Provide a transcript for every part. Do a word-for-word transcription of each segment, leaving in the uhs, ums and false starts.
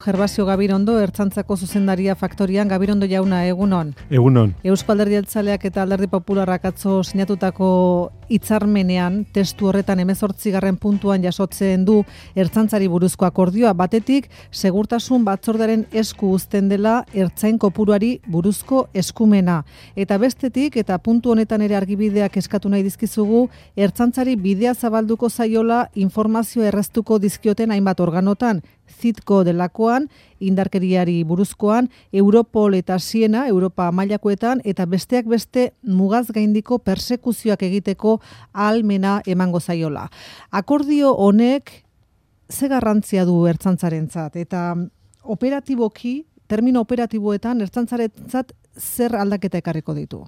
Gervasio Gabirondo, Ertzaintzako zuzendaria Faktorian. Gabirondo jauna, egunon. Egunon. Eusko Alderdi Jeltzaleak eta Alderdi Popularrak atzo sinatutako hitzarmenean, testu horretan hemezortzigarren puntuan jasotzen du Ertzaintzari buruzko akordioa. Batetik, segurtasun batzordearen esku uzten dela ertzain kopuruari buruzko eskumena. Eta bestetik, eta puntu honetan ere argibideak eskatu nahi dizkizugu, Ertzaintzari bidea zabalduko zaiola informazio erreztuko dizkioten hainbat organotan, Zitko delakoan, indarkeriari buruzkoan, Europol eta Siena, Europa mailakoetan, eta besteak beste mugaz gaindiko persekuzioak egiteko ahalmena emango zaiola. Akordio honek ze garrantzia du Ertzaintzarentzat, eta operatiboki, termino operatiboetan, Ertzaintzarentzat zer aldaketa ekarriko ditu?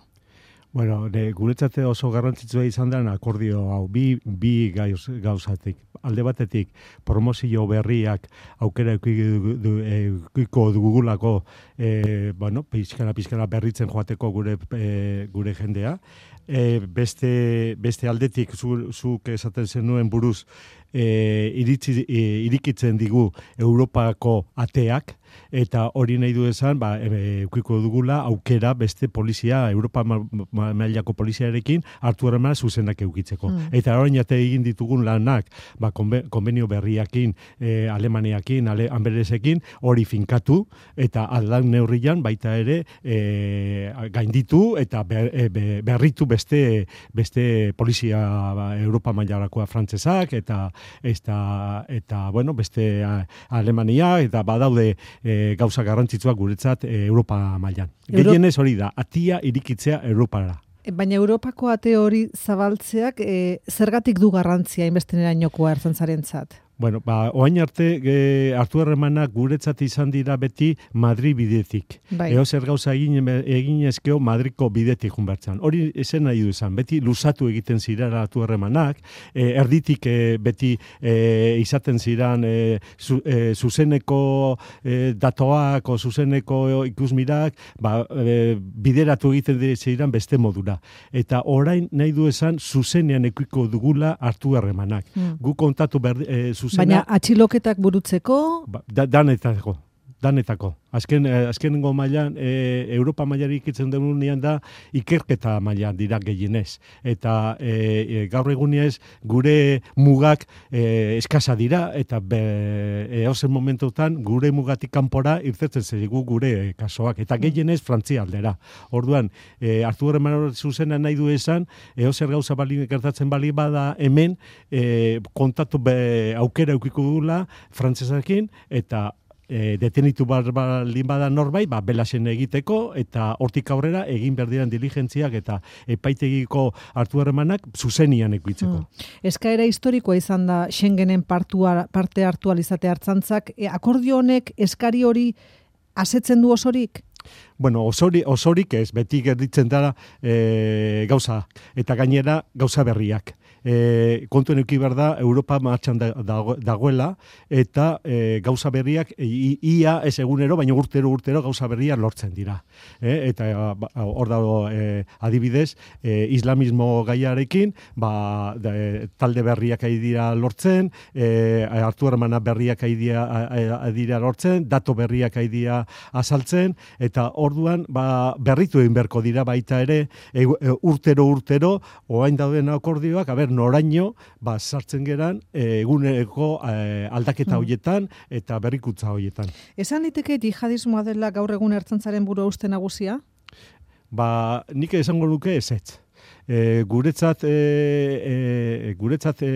Bueno, de, guretzat oso garrantzitsua izan da akordio hau, bi, bi gauz, gauzatik. Alde batetik, promozio berriak aukera eukiko dugulako, e, bueno, pizkana, pizkana berritzen joateko gure, e, gure jendea. E, beste, beste aldetik, zuk zu, esaten zenuen buruz, e, iritsi, e, irikitzen digu Europako ateak, eta hori nahi du esan, ba, eukiko dugula aukera beste polizia, Europa mailako poliziarekin hartu harremana zuzenak eukitzeko. Mm. Eta orain arte egin ditugun lanak, ba, konbenio berriakin, e, Alemaniakin, ale, Amberesekin, hori finkatu, eta aldan neurrian baita ere e, gainditu eta ber, e, berritu beste, beste polizia ba, Europa mailarakoa frantsesak, eta, eta, eta bueno, beste Alemania, eta badaude E, gauza garrantzitsuak guretzat e, Europa mailan. Euro... Gehienez hori da, atia irikitzea Europara. Baina Europako ate hori zabaltzeak e, zergatik du garrantzia inbestenerainokoa Ertzaintzarentzat? Bueno, ba, oain arte e, hartu harremanak guretzat izan dira beti Madrid bidetik. Bai. Eo zer gauza egin, egin ezkeo Madriko bidetik junbertzan. Hori esen nahi du izan, beti luzatu egiten zirara hartu harremanak, e, erditik e, beti e, izaten ziran e, zu, e, zuzeneko e, datoak o zuzeneko ikusmirak, ba, e, bideratu egiten ziran beste modura. Eta orain nahi du esan zuzenean ekuiko dugula hartu harremanak. Hmm. Gu kontatu berdi, e, zuzena, baina atxiloketak burutzeko? Ba, da, danetako, danetako. Azken, azkenengo mailan, e, Europa mailari ikitzen denunean da, ikerketa mailan dira gehienez. Eta e, e, gaur egunez gure mugak e, eskasa dira, eta eozen momentutan gure mugatik kanpora irtetzen zaigu gure kasoak. Eta gehienez Frantzia aldera. Orduan, e, hartu horreman zuzena nahi du esan, eozer gauza bali, gertatzen bali bada hemen, e, kontatu be, aukera eukiko dugula frantzesakin, eta E, detenitu baldin bada norbait, ba, belasen egiteko, eta hortik aurrera egin berdiran diligentziak eta epaitegiko hartu harremanak zuzenian ekuitzeko. Hmm. Eskaera historikoa izan da Schengenen partua, parte hartu alizate Ertzaintzak, e, akordio honek eskari hori asetzen du osorik? Bueno, osori, osorik ez, beti gerditzen dara e, gauza, eta gainera gauza berriak. E, kontuen euki behar da, Europa martxan da, dagoela, eta e, gauza berriak, i, ia ez egunero, baina urtero urtero gauza berriak lortzen dira. E, eta hor dago e, adibidez, e, islamismo gaiarekin, ba, de, talde berriak ari dira lortzen, e, hartu hermana berriak ari dira lortzen, dato berriak ari dira azaltzen, eta orduan ba, berritu egin beharko dira baita ere, e, e, urtero urtero, oain dauden akordioak, a ber, noraino, ba, sartzen geran, eguneko e, aldaketa horietan eta berrikuntza horietan. Esan liteke jihadismoa dela gaur egun Ertzaintzaren buru uste nagusia? Ba, nik esango nuke ezetz. E, guretzat e, e, guretzat e,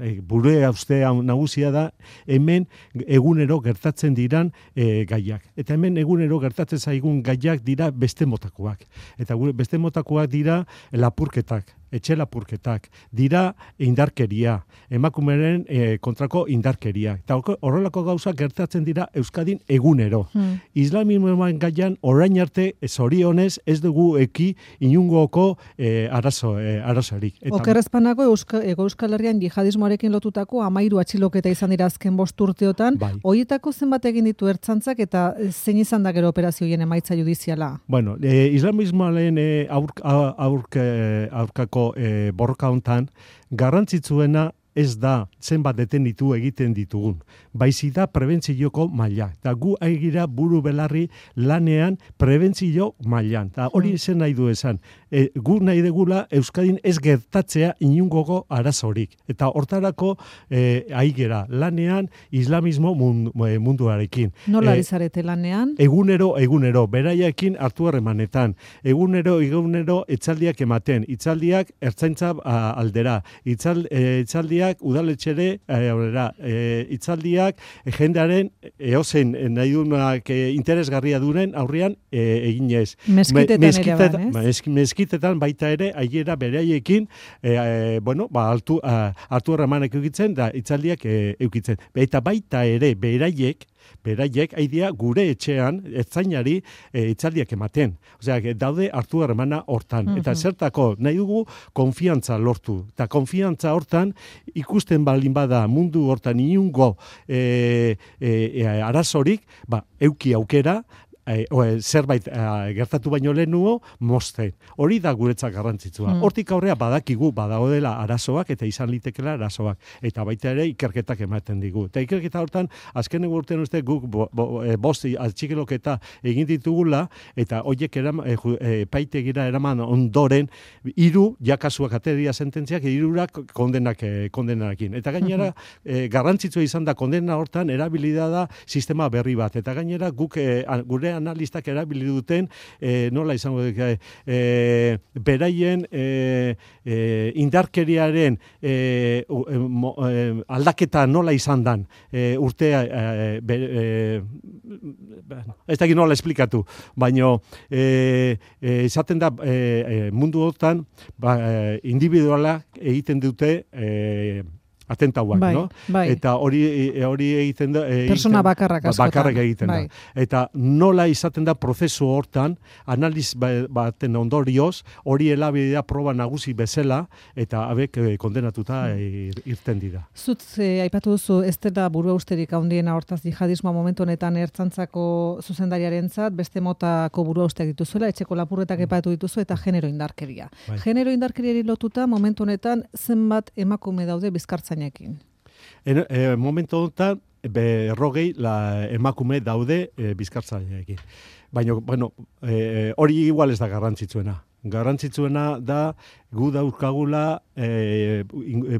e, bure uste nagusia da hemen egunero gertatzen diran e, gaiak. Eta hemen egunero gertatzen zaigun gaiak dira beste motakoak. Eta gure beste motakoak dira lapurketak, etxe lapurketak, dira indarkeria, emakumeren e, kontrako indarkeria. Eta horrelako gauza gertatzen dira Euskadin egunero. Hmm. Islamismoan gaian orain arte zorionez ez dugu eki inungoko e, arazo, e, arazorik. Okerrezpanago Ego Euskal Herrian jihadismoarekin lotutako amairu atxiloketa izan dira azken bost urteotan. Bai. Horietako zenbat egin ditu Ertzaintzak eta zein izan da gero operazioien emaitza judiziala? Bueno, e, islamismoaren e, aurk, aurk, aurkako e, borroka hontan garrantzitsuena ez da zenbat detenitu egiten ditugun. Baizik da prebentzioko maila. Eta gu aigira buru belarri lanean prebentzio mailan. Eta hori zen nahi du esan. E, gu nahi degula Euskadin ez gertatzea inungoko arazorik. Eta hortarako e, aigera lanean islamismo mundu, munduarekin. Nola ari zarete lanean? Egunero, egunero, beraiekin hartu harremanetan. Egunero, egunero, etzaldiak ematen. Itzaldiak ertzaintza aldera. Itzal, e, itzaldiak udaletxere aurrera. E, itzaldiak e, jendearen eozen nahi duenak e, interesgarria duren aurrean e, eginez. Meskitetan Me, ere ban, ez? Meskitetan baita ere, aiera beraiekin, e, e, bueno, ba, hartu, hartu harremanak eukitzen, da itzaldiak e, eukitzen. Eta baita ere, beraiek, beraiek haidea gure etxean ertzainari e, itzaldiak ematen. Osea, daude hartu harremana hortan. Mm-hmm. Eta zertako nahi dugu konfiantza lortu. Eta konfiantza hortan ikusten baldin bada mundu hortan inungo e, e, e, arazorik, ba, euki aukera, E, o, zerbait e, gertatu baino lehenuo, mozten. Hori da guretzak garrantzitsua. Mm. Hortik aurrea badakigu, badagodela arazoak eta izan litekela arazoak. Eta baita ere ikerketak ematen digu. Eta ikerketa hortan, azken urtean uste guk bo, bo, e, bosti atxikeloketa egin ditugula, eta horiek eram, e, e, paitegira eraman ondoren, hiru jakasuak ateria sententziak, hirurak kondenak, e, kondenarekin. Eta gainera, mm-hmm. e, garrantzitsua izan da kondena hortan, erabilida da sistema berri bat. Eta gainera, guk e, gure analistak erabili duten e, nola izango dut e, beraien e, e, indarkeriaren e, e, mo, e, aldaketa nola izan dan e, urtea e, be, e, ez dakit nola esplikatu, baina e, e, izaten da e, e, mundu hortan ba, e, individuala egiten dute e, atentauak, bai, no? Bai. Eta hori hori egiten da egiten, persona bakarrak askotan. Bakarrak egiten bai. da. Eta nola izaten da prozesu hortan analiz baten ondorioz hori elabidea proba nagusi bezala eta abek kondenatuta mm. irten dira. Zut eh, aipatu duzu ez dela buruausterik handiena hortaz jihadismoa momentu honetan ertzaintzako zuzendariarentzat beste motako buruausteak dituzuela, etxeko lapurretak mm. epatu dituzu eta genero indarkeria. Bai. Genero indarkeriari lotuta momentu honetan zenbat emakume daude Bizkartza En, e, momentu honetan berrogei la emakume daude e, Bizkartzaileekin. Baina, bueno, e, hori igual ez da garrantzitsuena. Garrantzitsuena da gu daukagula e,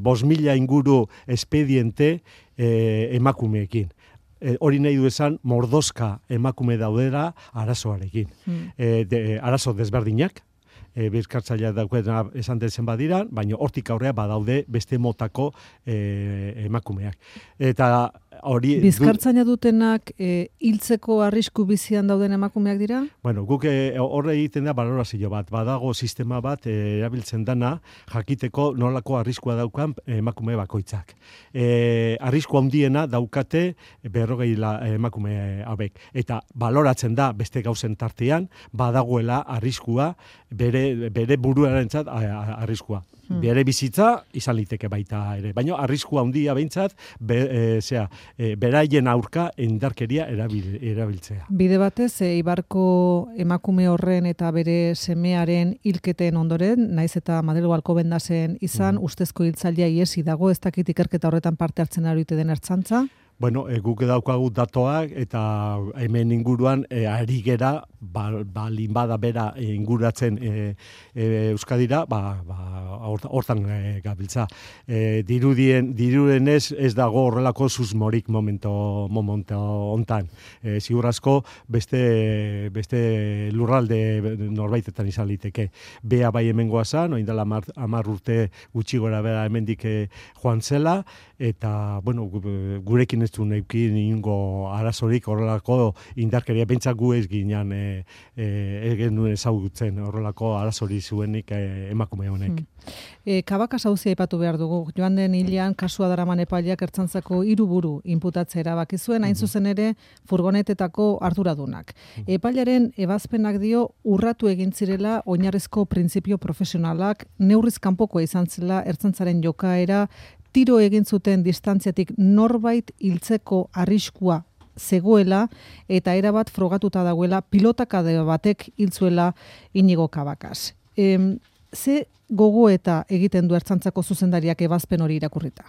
bost mila inguru espediente e, emakumeekin. E, hori nahi du esan mordoska emakume daudera arazoarekin. Mm. E, de, arazo desberdinak. E, Bizkartzailea daukena esan dezen badira, baina hortik aurrea badaude beste motako e, emakumeak. Eta hori... Bizkartzaina dutenak e, hiltzeko arrisku bizian dauden emakumeak dira? Bueno, guk horre egiten da balorazio bat. Badago sistema bat e, erabiltzen dana jakiteko nolako arriskua daukan emakume bakoitzak. E, arrisku handiena daukate berrogei emakume hauek. Eta baloratzen da beste gauzen tartean, badagoela arriskua bere bere buruarentzat arriskua. Hmm. Bere bizitza izan liteke baita ere. Baina arriskua handia behintzat be, e, zera, e, beraien aurka indarkeria erabil, erabiltzea. Bide batez, e, Ibarko emakume horren eta bere semearen hilketen ondoren, naiz eta Madrilgo Alcobendasen izan, hmm. ustezko hiltzailea iesi dago, ez dakit ikerketa horretan parte hartzen arite den ertzantza? Bueno, e, guk daukagu datoak eta hemen inguruan e, ari gera, balin ba, bada bera inguratzen e, e, Euskadira, ba, ba, hortan e, gabiltza. E, dirudien, diruden ez, ez dago horrelako susmorik momento, momento ontan. E, Zigur asko beste, beste lurralde norbaitetan izan liteke. Bea bai hemengoa zan, oin dela hamar urte gutxi gora bera hemendik e, joan zela, eta, bueno, gurekin ez du neukin ingo arazorik horrelako indarkeria pentsak gu ez ginean e, e, ez genuen ezagutzen horrelako arazori zuenik e, emakume honek. Hmm. E, Kabaka sauzia aipatu behar dugu. Joan den hilean kasua daraman epaileak ertzantzako hiru buru inputatzea erabaki zuen, hain zuzen ere furgonetetako arduradunak. Hmm. Epailearen ebazpenak dio urratu egin zirela oinarrizko printzipio profesionalak, neurriz kanpokoa izan zela ertzantzaren jokaera, tiro egin zuten distantziatik norbait hiltzeko arriskua zegoela eta erabat frogatuta dagoela pilotakade batek hiltzuela Inigo Cabacas. E, ze gogo eta egiten du ertzantzako zuzendariak ebazpen hori irakurrita?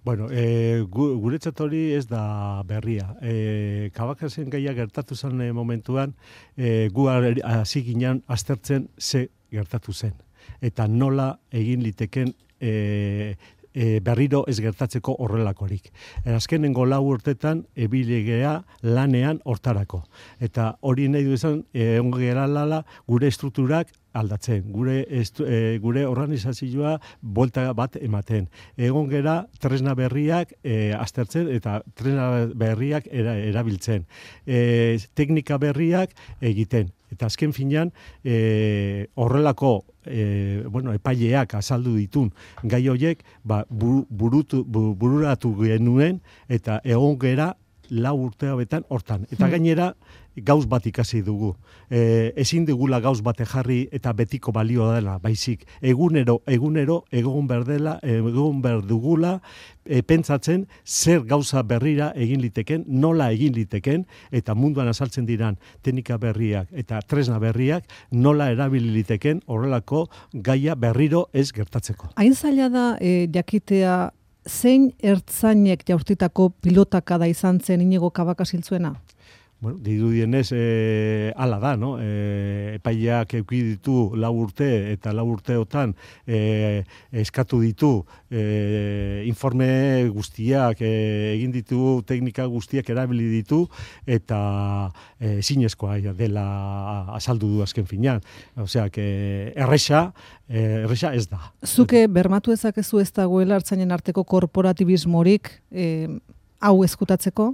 Bueno, e, gu, guretzat hori ez da berria. E, Kabakasen gaia gertatu zen e, momentuan, e, gu hasi ginen aztertzen ze gertatu zen. Eta nola egin liteken e, e, berriro ez gertatzeko horrelakorik. E, azkenengo lau urtetan ebilegea lanean hortarako. Eta hori nahi du izan, e, ongo geralala gure estrukturak aldatzen, gure estu, e, gure organizazioa buelta bat ematen. Egon gera tresna berriak e, aztertzen eta tresna berriak era, erabiltzen. E, teknika berriak egiten. Eta azken finean e, horrelako e, bueno, epaileak azaldu ditun gai horiek ba, buru, burutu, bururatu genuen eta egon gera lau urte hauetan hortan. Eta gainera gauz bat ikasi dugu. E, ezin dugula gauz bate jarri eta betiko balio dela, baizik. Egunero, egunero, egon berdela, egon berdugula, e, pentsatzen zer gauza berrira egin liteken, nola egin liteken, eta munduan azaltzen diran teknika berriak eta tresna berriak nola erabili liteken horrelako gaia berriro ez gertatzeko. Hain zaila da e, jakitea zein ertzainek jaurtitako pilotakada izan zen Inigo Kabaka ziltzuena? Bueno, dirudienez, e, ala da, no? E, epaileak eduki ditu lau urte eta lau urteotan e, eskatu ditu e, informe guztiak, e, egin ditu teknika guztiak erabili ditu eta e, zinezkoa dela azaldu du azken finean. Osea, que erresa, e, erresa ez da. Zuke bermatu ezakezu ez dagoela ertzainen arteko korporatibismorik e, hau eskutatzeko?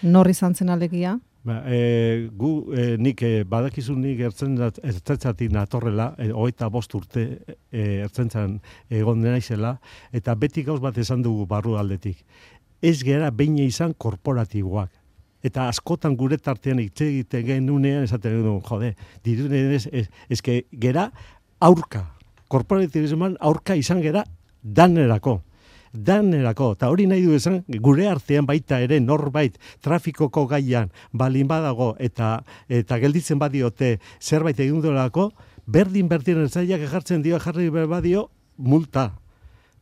Nor izan zen alegia? Ba, e, gu, e, nik e, badakizu nik ertzentzatik natorrela, e, hogeita bost urte e, ertzentzan egon naizela, eta beti gauz bat esan dugu barru aldetik. Ez gera behin izan korporatiboak. Eta askotan gure tartean hitz egiten genunean esaten dugu, jode, dirudien ez, ez, ez que gera aurka, korporatibismoan aurka izan gera danerako. Danerako, eta hori nahi du esan, gure artean baita ere norbait trafikoko gaian balin badago eta eta gelditzen badiote zerbait egin duelako, berdin berdin ertzaileak jartzen dio jarri badio multa.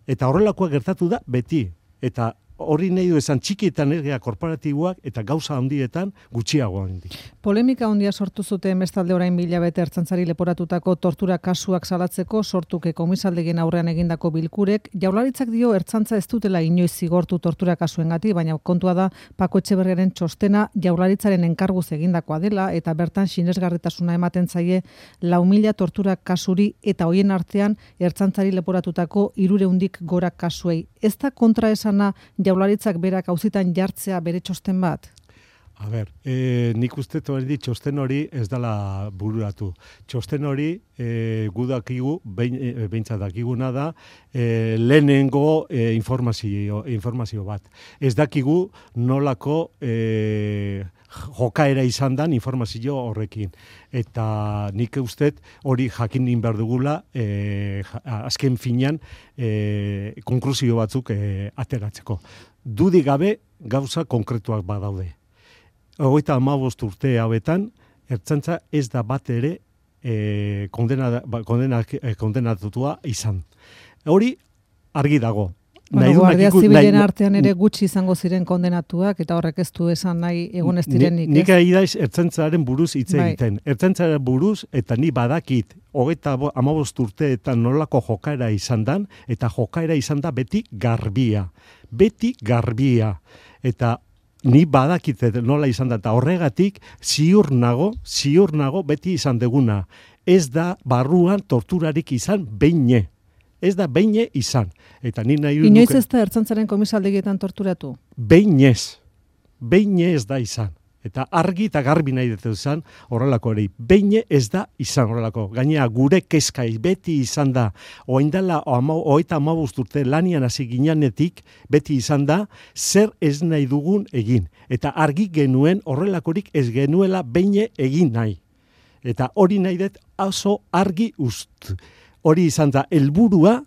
Eta horrelakoa gertatu da beti. Eta hori nahi du esan txikietan ergea korporatiboak eta gauza handietan gutxiago handi. Polemika handia sortu zuten bestalde orain mila bete ertzaintzari leporatutako tortura kasuak salatzeko sortuke komisaldegien aurrean egindako bilkurek. Jaurlaritzak dio ertzantza ez dutela inoiz zigortu tortura kasuengatik, baina kontua da Pako Etxeberriaren txostena Jaurlaritzaren enkarguz egindakoa dela eta bertan sinesgarritasuna ematen zaie lau mila tortura kasuri eta hoien artean ertzaintzari leporatutako hirureundik gora kasuei. Ez da kontraesana Jaurlaritzak berak auzitan jartzea bere txosten bat? A ber, e, nik uste hori txosten hori ez dela bururatu. Txosten hori e, gudakigu, behintzat dakiguna da, e, lehenengo e, informazio, informazio bat. Ez dakigu nolako e, jokaera izan dan informazio horrekin. Eta nik uste hori jakin behar dugula e, azken finean e, konklusio batzuk e, ateratzeko. Dudi gabe gauza konkretuak badaude. Hogeita hamabost urte hauetan, ertzantza ez da bat ere e, kondena, kondena, kondenatutua izan. Hori argi dago. Bueno, Guardia Zibilen artean ere gutxi izango ziren kondenatuak, eta horrek ez du esan nahi egon ez direnik. Nik ari daiz ertzentzaren buruz hitz egiten. Bai. Ertzentzaren buruz, eta ni badakit, hogeita hamabost urteetan nolako jokaera izan dan, eta jokaera izan da beti garbia. Beti garbia. Eta ni badakit nola izan da, eta horregatik ziur nago, ziur nago beti izan deguna. Ez da barruan torturarik izan beine. Ez da beine izan. Eta ni nahi duke... Inoiz ez da ertzaintzaren komisaldegietan torturatu? Beinez. Beine ez da izan. Eta argi eta garbi nahi dut izan horrelako ere. Beine ez da izan horrelako. Gainera gure kezkai beti izan da. Oindala hogeita hamabost urte lanian hasi ginenetik beti izan da zer ez nahi dugun egin. Eta argi genuen horrelakorik ez genuela beine egin nahi. Eta hori nahi dut oso argi ust. Hori izan da helburua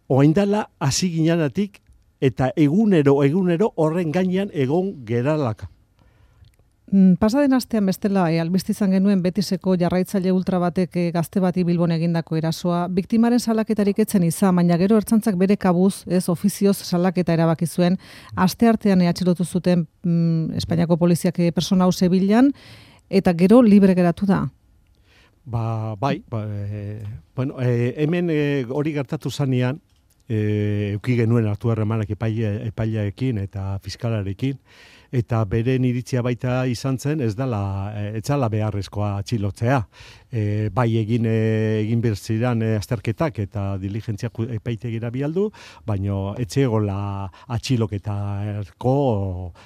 oindala hasi ginenetik eta egunero egunero horren gainean egon geralaka. Pasaden astean bestela e, albiste izan genuen Betiseko jarraitzaile ultra batek e, gazte bati Bilbon egindako erasoa. Biktimaren salaketarik etzen izan, baina gero ertzaintzak bere kabuz, ez ofizioz salaketa erabaki zuen. Asteartean atxilotu zuten mm, Espainiako poliziak e, persona hau Sevillan, eta gero libre geratu da. Ba, bai, ba, e, bueno, e, hemen e, hori gertatu zanean, e, euki genuen hartu harremanak epaileekin eta fiskalarekin, eta beren iritzia baita izan zen, ez dala, ez dala beharrezkoa atxilotzea. E, bai egin e, egin berziran e, azterketak eta diligentziak epaitegira bialdu, baino etxegola atxiloketarko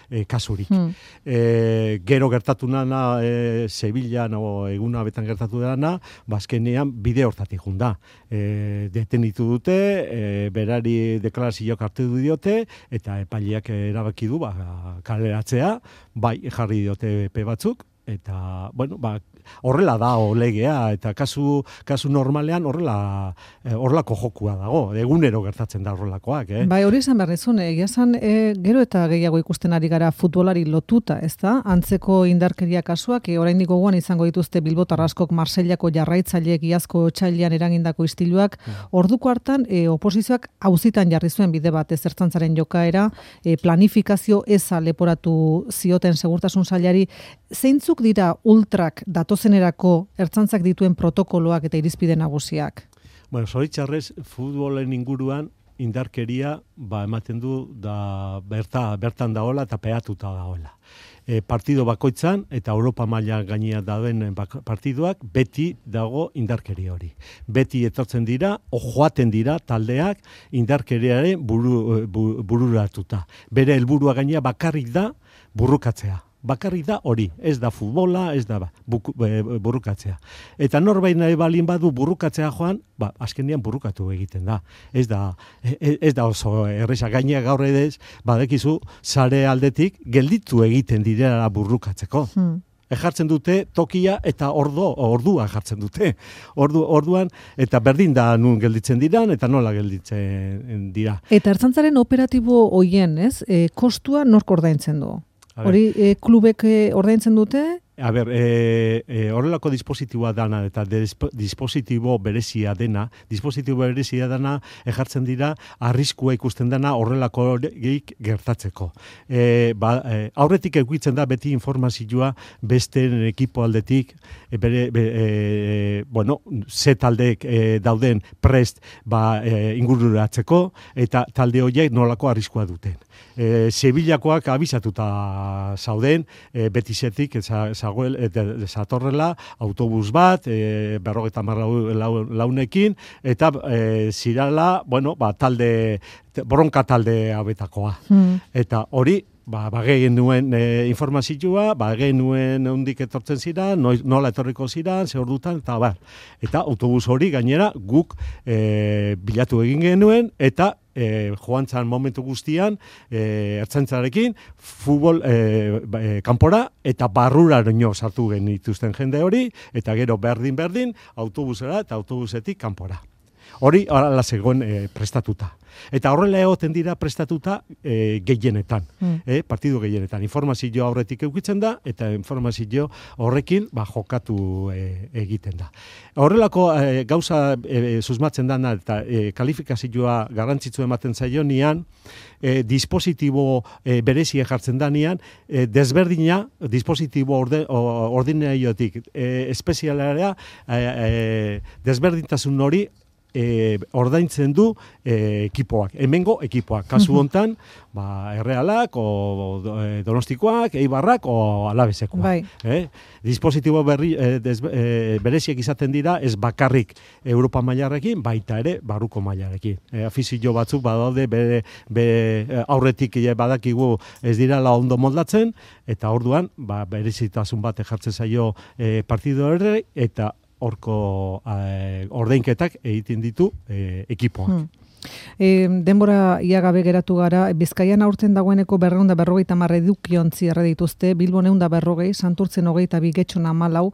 e, kasurik. Hmm. E, gero gertatu nana e, Sevillan o eguna betan gertatu dana, bazkenean bide hortatik junda. E, detenitu dute, e, berari deklarazioak hartu diote, eta epaileak erabaki du, ba, kaleratzea, bai jarri diote epe batzuk, eta, bueno, ba, horrela da legea, eta kasu, kasu normalean horrela horrelako jokua dago, egunero gertatzen da horrelakoak. Eh? Bai, hori izan behar nizun, egia zan, e, gero eta gehiago ikusten ari gara futbolari lotuta, ez da? Antzeko indarkeria kasuak, e, oraindik gogoan izango dituzte Bilbotar askok Marseillako jarraitzaileek iazko otsailean eragindako istiluak, orduko hartan e, oposizioak auzitan jarri zuen bide bat ezertzantzaren jokaera, e, planifikazio eza leporatu zioten segurtasun sailari. Zeintzuk dira ultrak datozenerako ertzantzak dituen protokoloak eta irizpide nagusiak? Bueno, zoritxarrez, futbolen inguruan indarkeria ba, ematen du da berta, bertan daola eta peatuta daola. E, partido bakoitzan eta Europa maila gainea dauden partiduak beti dago indarkeria hori. Beti etortzen dira, o joaten dira taldeak indarkeriaren buru, bu, bururatuta. Bere helburua gainea bakarrik da burrukatzea. Bakarrik da hori, ez da futbola, ez da buku, e, burrukatzea. Eta norbait nahi balin badu burrukatzea joan, ba, azkenean burrukatu egiten da. Ez da, ez, ez da oso erresa gainea gaur edez, badekizu sare aldetik gelditu egiten direla burrukatzeko. Hmm. Jartzen dute tokia eta ordo, ordua jartzen dute. Ordu, orduan, eta berdin da nun gelditzen diran, eta nola gelditzen dira. Eta ertzaintzaren operatibo hoien, ez? E, kostua nork ordaintzen du? Hori e, klubek e, ordaintzen dute? A ber, e, e, horrelako dispositiboa dana eta dispositibo berezia dena, dispositibo berezia dana ejartzen dira arriskua ikusten dana horrelako geik gertatzeko. E, ba, e, aurretik eguitzen da beti informazioa beste ekipo aldetik, e, bere, be, e, bueno, ze taldeek e, dauden prest ba, e, ingururatzeko eta talde horiek nolako arriskua duten. E, Sevillakoak abisatuta zauden, e, betizetik zagoel, e, zatorrela autobus bat, e, berrogeta marra launekin, eta e, zirala, bueno, ba, talde, bronka talde abetakoa. Hmm. Eta hori, ba, bageen nuen e, informazioa, bageen nuen ondik etortzen ziren, nola etorriko ziren, ze ordutan, eta bar. Eta autobus hori gainera guk e, bilatu egin genuen, eta E, joan zan momentu guztian e, ertzaintzarekin futbol e, e, kanpora eta barruraino sartu genituzten jende hori eta gero berdin-berdin autobusera eta autobusetik kanpora. Hori hala zegoen e, prestatuta. Eta horrela egoten dira prestatuta e, gehienetan, mm. e, partidu gehienetan. Informazio aurretik eukitzen da, eta informazio horrekin ba, jokatu e, egiten da. Horrelako e, gauza e, susmatzen dana eta e, kalifikazioa garrantzitsu ematen zaio nian, e, dispositibo e, berezia jartzen da nian, e, desberdina, dispositibo orde, ordinaiotik e, espezialarea, e, e, desberdintasun hori, E, ordaintzen du e, ekipoak, hemengo ekipoak. Kasu hontan, ba, Errealak, o Donostikoak, Eibarrak, o Alabesekoak. Bai. Eh? Dispositibo berri, e, des, e, bereziak izaten dira, ez bakarrik Europa mailarekin, baita ere barruko mailarekin. E, afizio batzuk badaude, bere, bere aurretik badakigu ez dira la ondo moldatzen, eta orduan, ba, berezitasun bat jartzen zaio e, partido horre, eta horko eh, ordainketak egiten ditu eh, ekipoak. Hmm. E, denbora iagabe geratu gara, Bizkaian aurten dagoeneko berreunda berrogeita hamar edukiontzi erre dituzte, Bilbon ehun da berrogei, Santurtzen hogeita bi, Getxon hamalau.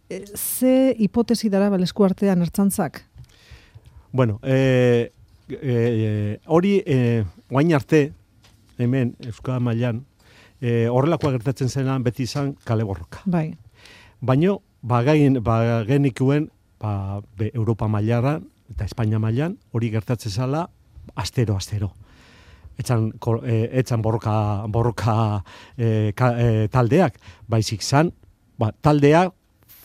E, ze hipotesi dara balesku artean ertzantzak? Bueno, e, e, hori e, oain arte, hemen Euskal mailan, e, horrelakoa gertatzen zenan beti izan kale borroka. Bai. Baina, bagain, bagenikuen, ba, be, Europa mailaran eta Espainia mailan hori gertatzen zala astero, astero. Etxan, e, etxan borroka, borroka e, ka, e, taldeak, baizik zan, ba, taldeak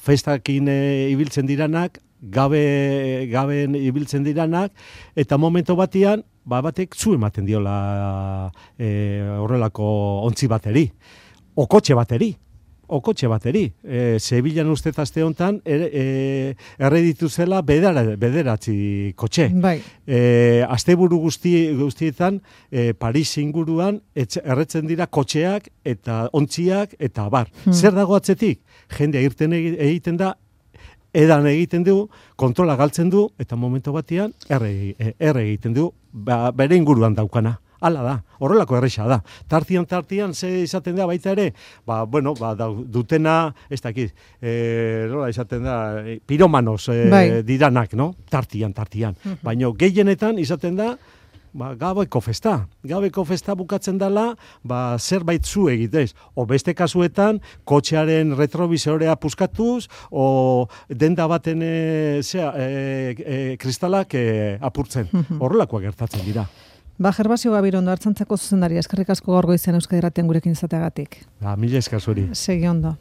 festakin e, ibiltzen diranak, gabe, gaben ibiltzen diranak, eta momento batian, ba, batek zu ematen diola e, horrelako ontzi bateri, o kotxe bateri, o kotxe bateri. E, Sevillan uste aste honetan er, e, erreditu zela bedera, bederatzi kotxe. Bai. E, asteburu guzti, guztietan e, Paris inguruan etxe, erretzen dira kotxeak eta ontziak eta bar. Hmm. Zer dago atzetik? Jendea irten egiten da, edan egiten du, kontrola galtzen du, eta momento batean erre, erre egiten du, ba, bere inguruan daukana. Hala da, horrelako erresa da. Tartian, tartian, ze izaten da baita ere, ba, bueno, ba, da, dutena, ez dakit, e, nola izaten da, e, piromanos e, bai. Diranak, no? Tartian, tartian. Uh-huh. Baina gehienetan izaten da, ba, gabeko festa. Gabeko festa bukatzen dela, ba, zerbait zu egitez. O beste kasuetan, kotxearen retrovisorea puskatuz, o denda baten e, zea, e, e, kristalak e, apurtzen. Uh-huh. Horrelakoak gertatzen dira. Ba, Gervasio Gabirondo, Artxantzako zuzendaria, eskerrik asko gaur goizean Euskadi Irratian gurekin izateagatik. Ba, mila esker zuri. Segi ondo.